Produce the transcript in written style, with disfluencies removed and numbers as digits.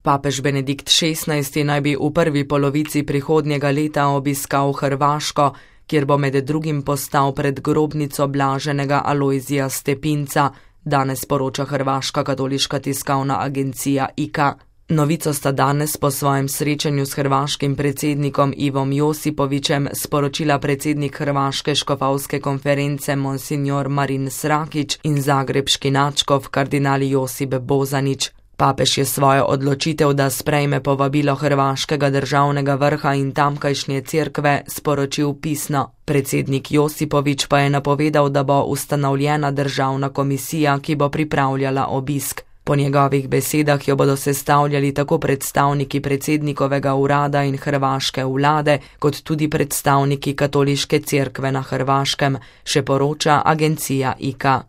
Papež Benedikt XVI naj bi v prvi polovici prihodnjega leta obiskal Hrvaško, kjer bo med drugim postal pred grobnico blaženega Alojzija Stepinca, danes poroča hrvaška katoliška tiskovna agencija IKA. Novico sta danes po svojem srečanju s hrvaškim predsednikom Ivom Josipovićem sporočila predsednik Hrvaške škofovske konference Monsignor Marin Srakić in zagrebški nadškof kardinal Josip Bozanić. Papež je svojo odločitev, da sprejme povabilo hrvaškega državnega vrha in tamkajšnje cerkve, sporočil pisno. Predsednik Josipović pa je napovedal, da bo ustanovljena državna komisija, ki bo pripravljala obisk. Po njegovih besedah jo bodo sestavljali tako predstavniki predsednikovega urada in hrvaške vlade, kot tudi predstavniki katoliške cerkve na Hrvaškem, še poroča agencija IKA.